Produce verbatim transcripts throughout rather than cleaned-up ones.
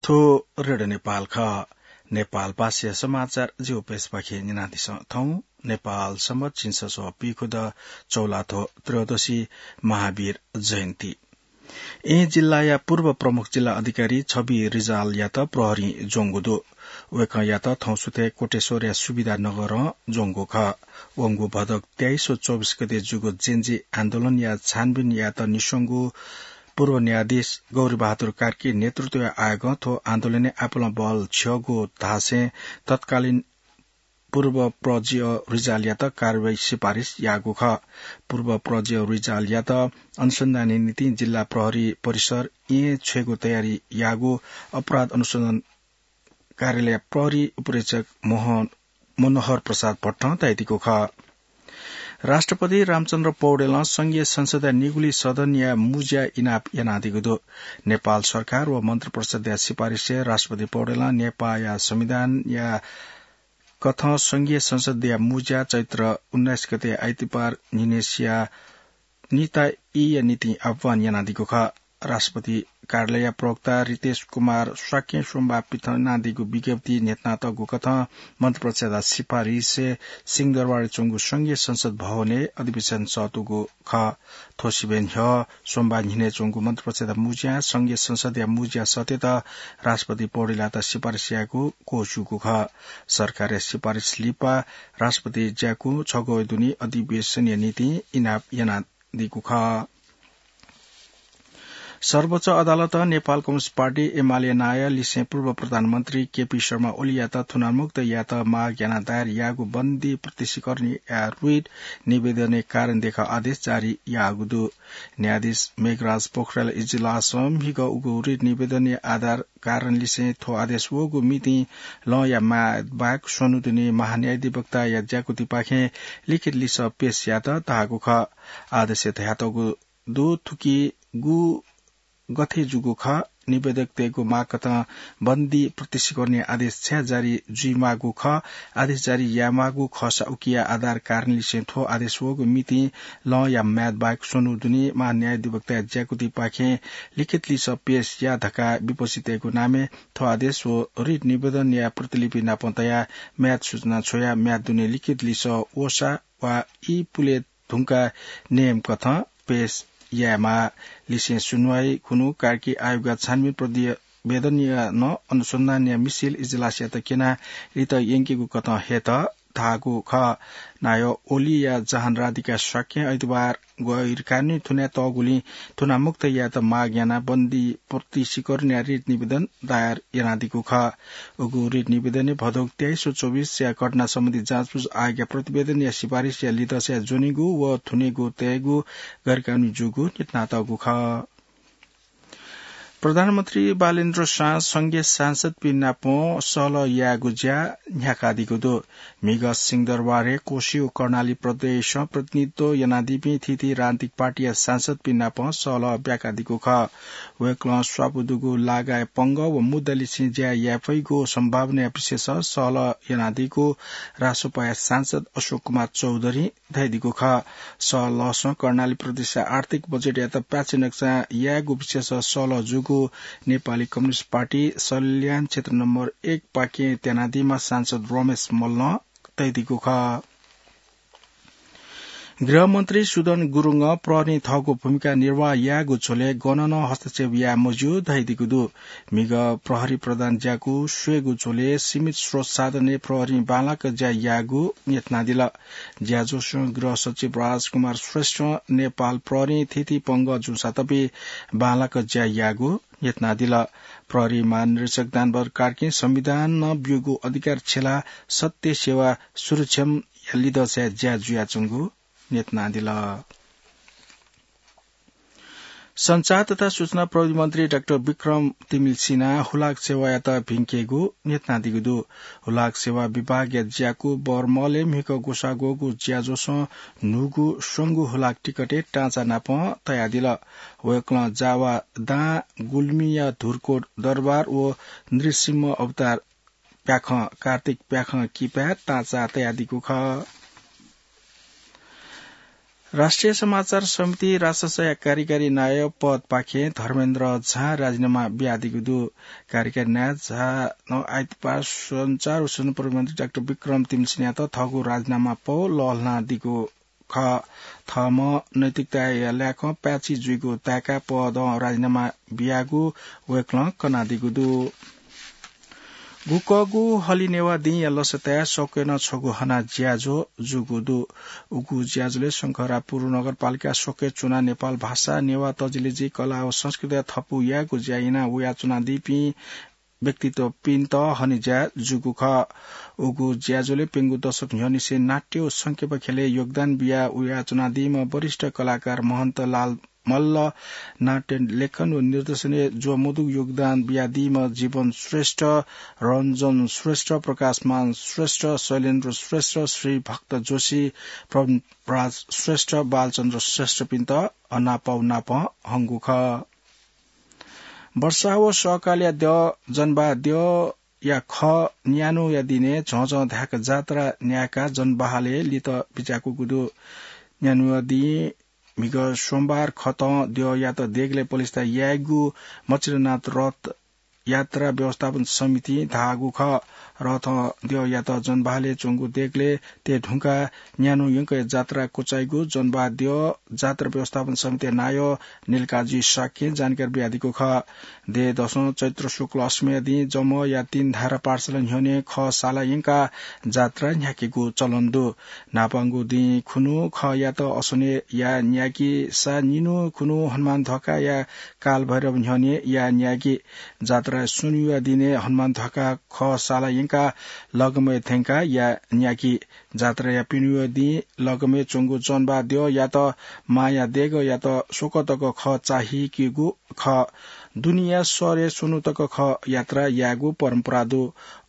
थ्व रेडियो नेपाल खः। नेपाल भाषाया समाचार जिगु पेजपाखें न्यनादिसँ। थौं नेपाल सम्बत झिंछसः पीखुद चौलाथ्व त्रयोदशी महावीर जयन्ती। येँ जिल्लाया पूर्व प्रमुख जिल्ला अधिकारी छवि रिजालयात प्रहरीं ज्वंगु दु। वय्कःयात थौं सुथय् कोटेश्वरया सुविधा नगरं ज्वंगु खः। वंगु भदौ तेइस व चौबिस गते जूगु जेनजी आन्दोलनया छानबिन यायेत निस्वंगु पूर्व न्यायाधीश गौरी बहादुर कार्की नेतृत्वया आयोगं थ्व आन्दोलनय् आपालं बल छ्यःगु धासें तत्कालीन पूर्व प्रजिअ रिजालयात कारवाही सिफारिस याःगु खः। पूर्व प्रजिअ रिजालयात अनुसन्धानया निंतिं जिल्ला प्रहरी परिसर येँ छ्वयेगु तयारी याःगु अपराध अनुसन्धान कार्यालय प्रहरी उपरीक्षक मोहन, मनोहर प्रसाद भट्टं धयादीगु खः। राष्ट्रपति रामचन्द्र पौडेलं संघीय संसदया निगुली सदनया मुज्या इनाप यानादीगु दु। नेपाल सरकार व मन्त्रिपरिषदया सिफारिसय् राष्ट्रपति पौडेलं नेपाःया संविधानया कथं संघीय संसदया मुज्या चैत्र उन्नाइस गते आइतबार न्हिनेसिया निता ईया निंतिं आह्वान यानादीगु खः। राष्ट्रपति कार्यालयया प्रवक्ता रितेश कुमार शाक्यं सोमबार पिथनादीगु विज्ञप्ति न्ह्यथनातःगु कथं मन्त्रिपरिषदया सिफारिसय् सिंहदरबारय् च्वंगु संघीय संसद भवनय् अधिवेशन सःतूगु खः। थ्व सिबें न्ह्यः सोमबार न्हिनय् च्वंगु मन्त्रिपरिषदया मुज्यां संघीय संसदया मुज्या सःतेत राष्ट्रपति पौडेलयात सिफारिस यायेगु क्वःछ्यूगु खः। सरकारया सिफारिस लिपा राष्ट्रपति ज्याकू छगू दुने अधिवेशनया निंतिं इनाप यानादीगु खः। सर्वोच्च अदालतं नेपाल कम्युनिस्ट पार्टी, एमाले नायः लिसें पूर्व प्रधानमन्त्री केपी शर्मा ओलीयात थुनामुक्त यायेत माग यानाः दायर याःगु बन्दी प्रत्यक्षीकरणया रिट निवेदनय् कारण देखाउ आदेश जारी याःगु दु। न्यायाधीश मेघराज पोखरेल इजलासं म्हिगः उगु रिट निवेदनया आधार कारण लिसें थ्व आदेश वःगु मितिं लँया म्याद बाहेक स्वन्हु दुने महान्यायाधिवक्ताया ज्याकुथिपाखें लिखित लिसः पेश यायेत धाःगु खः। आदेशय् धयातःगु दु, थुकी गु गथे जूगु खः, निवेदकतय्गु माग कथं बन्दी प्रत्यक्षीकरणया आदेश छाय् जारी जुइमाःगु खः, आदेश जारी यायेमाःगु खःसा उकिया आधार कारण लिसें थ्व आदेश वःगु मितिं लँया म्याद बाहेक स्वन्हु दुने महान्यायाधिवक्ताया ज्याकुथिपाखें लिखित लिसः पेश या धकाः विपक्षीतय्गु नामय् थ्व आदेश व रिट निवेदनया प्रतिलिपि नापं तयाः म्याद सूचना छ्वयाः म्याद दुने लिखित लिसः वःसा वा ई पुले धुंकाः नेम कथं पेश यायेमाः। लिसें सुनुवाई खुन्हु कार्की आयोगया छानबिन प्रतिवेदनया नं अनुसन्धानया मिसिल इजलासयात क्यनाः लित यंकेगु कथं हयेत धाःगु खः। नायः ओलीया जहान राधिका शाक्यं आइतबार गैरकानूनी थुनातःगुलिं थुनामुक्त यायेत माग यानाः बन्दी प्रत्यक्षीकरणया रिट निवेदन दायर यानादीगु खः। उगु रिट निवेदनय् भदौ तेइस व चौबिसया घटना सम्बन्धी जाँचबुझ आयोगया प्रतिवेदनया सिफारिसया लिधंसाय् ज्वनेगु व थुनेगु तयेगु गैरकानूनी जूगु न्ह्यथनातःगु खः। प्रधानमन्त्री बालेन्द्र शाहं संघीय सांसदपिं नाप सहलह यायेगु ज्या न्ह्याकादीगु दु। म्हिगः सिंहदरबारय् कोशी व कर्णाली प्रदेशं प्रतिनिधित्व यानादीपिं थीथी राजनीतिक पार्टीया सांसदपिं नाप सहलह ब्याकादीगु खः। वय्कलं स्वापू दुगु लागाय् पंगः व मुद्दा लिसें ज्या याये फइगु सम्भावनाया विषयस सहलह यानादीगु रासोपाया सांसद अशोक कुमार चौधरीं धयादीगु खः। सहलहसं कर्णाली प्रदेशया आर्थिक बजेटयात पाय्छि नक्सा यायेगु विषयस सहलह जूगु नेपाली कम्युनिस्ट पार्टी सल्यान क्षेत्र नम्बर एक पाखें त्यानादीम्ह सांसद रमेश मल्लं धयादीगु खः। गृहमन्त्री सुदन गुरुङं प्रहरीं थःगु भूमिका निर्वाह यायेगु झ्वलय् गनं नं हस्तक्षेप याये मज्यू धयादीगु दु। म्हिगः प्रहरी प्रधान ज्याकू स्वयेगु झ्वलय् सीमित स्रोत साधनय् प्रहरीं बांलाक ज्या याःगु न्ह्यथनादिल। ज्याझ्वलय् गृह सचिव राजकुमार श्रेष्ठं नेपाल प्रहरीं थीथी पंगः जूसां तपे बांलाक ज्या याःगु न्ह्यथनादिल। प्रहरी महानिरीक्षक दानबहादुर कार्कीं संविधानं ब्यूगु अधिकार छ्यलाः सत्य, सेवा, सुरक्षाया लिधंसाय् ज्या जुयाच्वंगु न्ह्यथनादिल। सञ्चार तथा सूचना प्रविधि मन्त्री डाक्टर विक्रम तिमिल सिन्हां हुलाक सेवायात भिंकेगु न्ह्यथनादीगु दु। हुलाक सेवा विभागया ज्याकू बरमहलय् म्हिगः ग्वसाः ग्वःगु ज्याझ्वलं न्हूगु स्वंगू हुलाक टिकटय् टाँचा नाप तयादिल। वय्कलं जावा दां, गुल्मीया धुर्कोट दरबार व नृसिंह अवतार प्याखं, कार्तिक प्याखं किपाय् टाँचा तयादीगु खः। राष्ट्रिय समाचार समिति राससया कार्यकारी नायः पदपाखें धर्मेन्द्र झां राजीनामा बियादीगु दु। कार्यकारी नायः झां आइतबार सञ्चार व सूचना प्रविधि मन्त्री डाक्टर विक्रम तिमसिंहयात थःगु राजीनामा पौ लःल्हानादीगु खः। थःम्हं नैतिकताया लाय्कं पाय्छि जुइगु ताय्काः पदं राजीनामा बियागु वय्कलं कनादीगु दु। गुकःगु हलिनेवाः दिंया लसताय् सक्वय् नं छगू हना ज्याझ्वः जूगु दु। उगु ज्याझ्वलय् शंखरापुर नगरपालिका सक्वय् च्वनाः नेपाल भाषा, नेवाः तजिलजि, कला व संस्कृतिया थपु यायेगु ज्या याना वयाच्वनादीपिं व्यक्तित्वपिन्त हनेज्या जूगु खः। उगु ज्याझ्वलय् प्यंगू दशक न्ह्यःनिसें नाट्य व संकिपा ख्यलय् योगदान बिया वयाच्वनादीम्ह वरिष्ठ कलाकार महन्त लाल मल्ल, नाट्य लेखन व निर्देशनय् ज्वःमदुगु योगदान बियादीम्ह जीवन श्रेष्ठ, रञ्जन श्रेष्ठ, प्रकाशमान श्रेष्ठ, शैलेन्द्र श्रेष्ठ, श्रीभक्त जोशी, प्रवीण राज श्रेष्ठ, बालचन्द्र श्रेष्ठपिन्त हनापौ नापं हंगु खः। वर्षा व सकलया द्यः, जनबाह द्यःया खः न्यान्हुया दिने झःझः धाय्क जात्रा न्यायेकाः जनबाहलय् लित बिज्याकूगु दु। न्यान्हुया दिं म्हिगः सोमबार खतं द्यःयात देगलय् पलिस्था याइगु मच्छिन्द्रनाथ रथ यात्रा व्यवस्थापन समितिं धाःगु खः। रथं द्यःयात जनबाहलय् च्वंगु देगलय् तये धुंकाः न्यान्हु यंकया जात्रा क्वचाइगु जनबाह द्यः जात्रा व्यवस्थापन समितिया नायः नीलकाजी शाक्यं जानकारी बियादीगु खः। देय् दसं चैत्र शुक्ल अष्टमीया दिं जमःया तीन धारा पाठशाला न्ह्यःने खः साला यंकाः जात्रा न्ह्याकेगु चलन दु। न्हापांगु दिं खुन्हु खःयात असोने याः न्याकीसा निन्हु खुन्हु हनुमान ध्वाखाया कालभैरव न्ह्यःने याः न्याकी। जात्राया स्वन्हुया दिने हनुमान ध्वाखा खः साला यंकाः लगमय् थ्यंकाः याः न्याकी। जात्राया प्यन्हुया दिं लगमय् च्वंगु जनबाह द्यःयात मांया देगःयात स्वकः तक खः चाःहिकेगु खः। दुनेया शहरय् स्वन्हु तक खः यात्रा यायेगु परम्परा दु।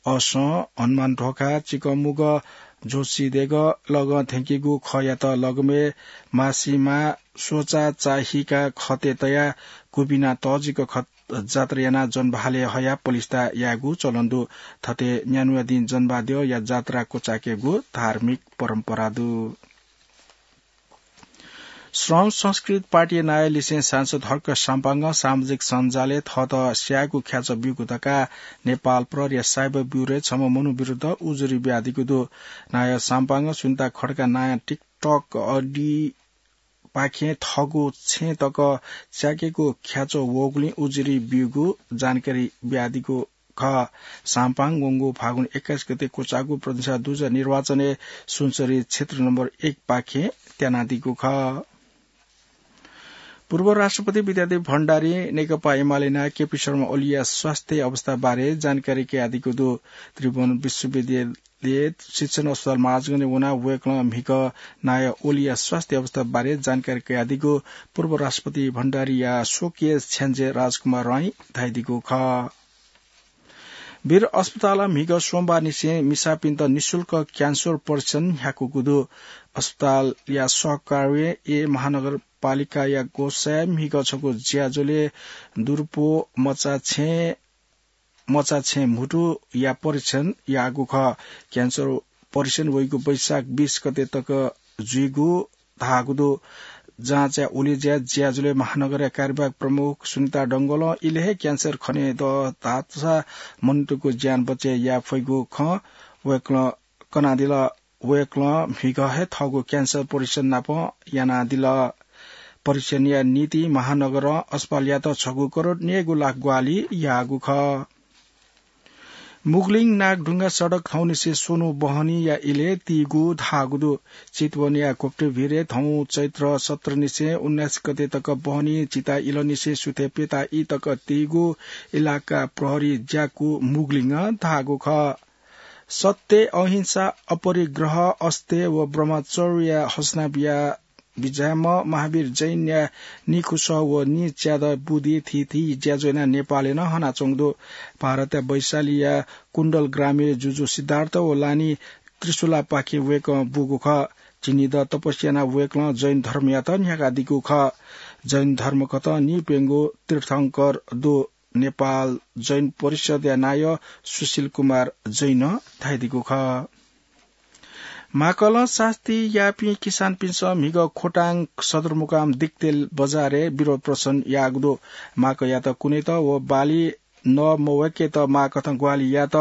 असं हनुमान ध्वाखा, चिकंमुगः, जोशी देगः लगं थ्यंकीगु खःयात लगमय् मासिमा स्वचा चाःहिकाः खतय् तयाः क्वबिना तःजिक खत जात्रा यानाः जनबाहलय् हयाः पलिस्था यायेगु चलन दु। थथे न्यान्हुया दिं जनबाह द्यःया जात्रा क्वचायेकेगु धार्मिक परम्परा दु। श्रम संस्कृति पार्टीया नायः लिसें सांसद हर्क साम्पाङं सामाजिक सञ्जालय् थःत स्यायेगु ख्याचः ब्यूगु धकाः नेपाल प्रहरीया साइबर ब्युरोय् छम्ह मनू विरुद्ध उजुरी बियादीगु दु। नायः साम्पाङं सुनिता खड्का नायः TikTok ID पाखें थःगु छेँ तक स्याकेगु ख्याचः वःगुलिं उजुरी ब्यूगु जानकारी बियादीगु खः। साम्पाङ वंगु फागुन एक्काइस गते क्वचाःगु प्रतिनिधि सभा दुजः निर्वाचनय् सुनसरी क्षेत्र नम्बर एक पाखें त्यानादीगु खः। पूर्व राष्ट्रपति विद्यादेवी भण्डारीं नेकपा एमाले नायः केपी शर्मा ओलीया स्वास्थ्य अवस्था बारे जानकारी कयादीगु दु। त्रिभुवन विश्वविद्यालय शिक्षण अस्पताल महाजगनय् वनाः वय्कलं म्हिगः नायः ओलीया स्वास्थ्य अवस्था बारे जानकारी कयादीगु पूर्व राष्ट्रपति भण्डारीया स्वकीय छ्याञ्जे राजकुमार राईं धयादीगु खः। वीर अस्पतालं म्हिगः सोमबारनिसें मिसापिन्त निशुल्क क्यान्सर परीक्षण न्ह्याकूगु दु। अस्पतालया सहकार्यय् महानगरपालिकाया ग्वसाय् म्हिगः छगू ज्याझ्वलय् दुरुपो मचा छेँ, मचा छेँ म्हुतुया परीक्षण याःगु खः। क्यान्सर परीक्षण वइगु वैशाख बीस गते तक जुइगु धाःगु दु। जाँचया उलेज्या ज्याझ्वलय् महानगरया कार्यवाहक प्रमुख सुनिता डंगोलं इलय् हे क्यान्सर खने दत धाःसा मनूतय्गु ज्यान बचय् याये फइगु खँ वय्कलं कनादिल। वय्कलं म्हिगः हे थःगु क्यान्सर परीक्षण नाप यानादिल। परीक्षणया निंतिं महानगरं अस्पतालयात छगू करोड न्यय्गू लाख ग्वाहालि याःगु खः। मुगलिङ नागढुङ्गा सडक थौंनिसें स्वन्हु बहनीया इलय् तीगु धाःगु दु। चितवनया घोप्टेभिरय् थौं चैत्र सत्रनिसें उन्नाइस गते तक बहनी चिता इलंनिसें सुथय् प्यता ई तक तीगु इलाका प्रहरी ज्याकू मुगलिङं धाःगु खः। सत्य, अहिंसा, अपरिग्रह, अस्तेय व ब्रह्मचर्यया हसना बिया बिज्याःम्ह महावीर जैनया निखुसः व निच्यादँ बुद्धि थीथी ज्याझ्वः यानाः नेपालय् नं हनाच्वंगु दु। भारतया वैशालीया कुण्डल ग्रामय् जुजु सिद्धार्थ व लानि त्रिशूलापाखें वय्कलं बूगु खः। झिंनिदँ तपस्या यानाः वय्कलं जैन धर्मयात न्ह्याकादीगु खः। जैन धर्मकथं निप्यंगू तीर्थंकर दु। नेपाल जैन परिषदया नायः सुशील कुमार जैनं धयादीगु खः। माकलं सास्ती याःपिं किसानपिन्सं म्हिगः खोटाङ सदरमुकाम दिक्तेल बजारय् विरोध प्रदर्शन याःगु दु। माकयात कुनेत व बाली नमवय्केत माकथं ग्वाहालि यायेत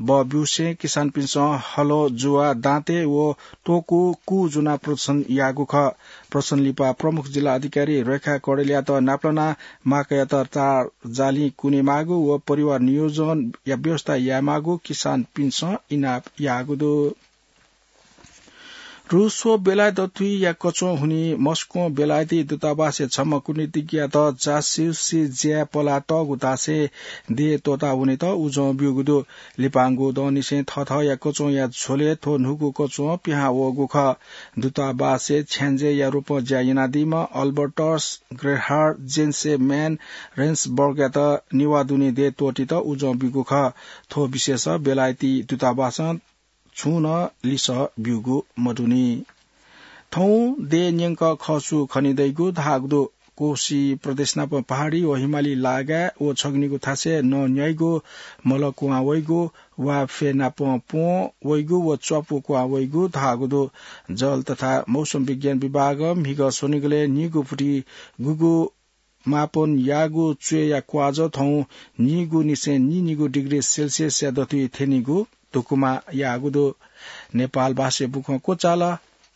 बः ब्यूसें किसानपिन्सं हलो, जुवा, दाँते व टोकु कू ज्वनाः प्रदर्शन याःगु खः। प्रदर्शन लिपा प्रमुख जिल्ला अधिकारी रेखा कडेलयात नापलानाः माकयात तार जालिं कुने माःगु व परिवार नियोजनया व्यवस्था याये माःगु किसानपिन्सं इनाप याःगु दु। रूस व बेलायत दथुइया कच्वं हुनिं मस्कों बेलायती दूतावासय् छम्ह कूटनीतिज्ञयात जासुसी ज्याय् पलातःगु धासें देय् त्वःता वनेत उजं ब्यूगु दु। लिपांगु दँनिसें थःथःया कच्वंया झ्वलय् थ्व न्हूगु कच्वं पिहां वःगु खः। दूतावासय् छ्याञ्जेया रूपं ज्या यानादीम्ह अल्बर्टस ग्रेहार जेन्सेम्यान रेन्सबर्गयात निवाः दुने देय् त्वःतीत उजं ब्यूगु खः। थ्व विषयस बेलायती दूतावासं छुं नं लिसः ब्यूगु मदुनि। थौं देय् न्यंक खसु खने दइगु धाःगु दु। कोशी प्रदेश नाप पहाडी व हिमाली लागाय् व छगनिगु थासय् नं न्याइगु, मल क्वहां वइगु, वा फय् नाप प्वं वइगु व च्वापु क्वहां वइगु धाःगु दु। जल तथा मौसम विज्ञान विभागं म्हिगः स्वनिगलय् नीगू फुति गुगु मापन याःगु च्वय्या क्वाजः थौं नीगू निसें नीनिगू डिग्री सेल्सियसया दथुइ थ्यनीगु धुकुमा याःगु दु। नेपाल भाषाय् बुखँ क्वचाल।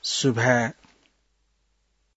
सुभाय्।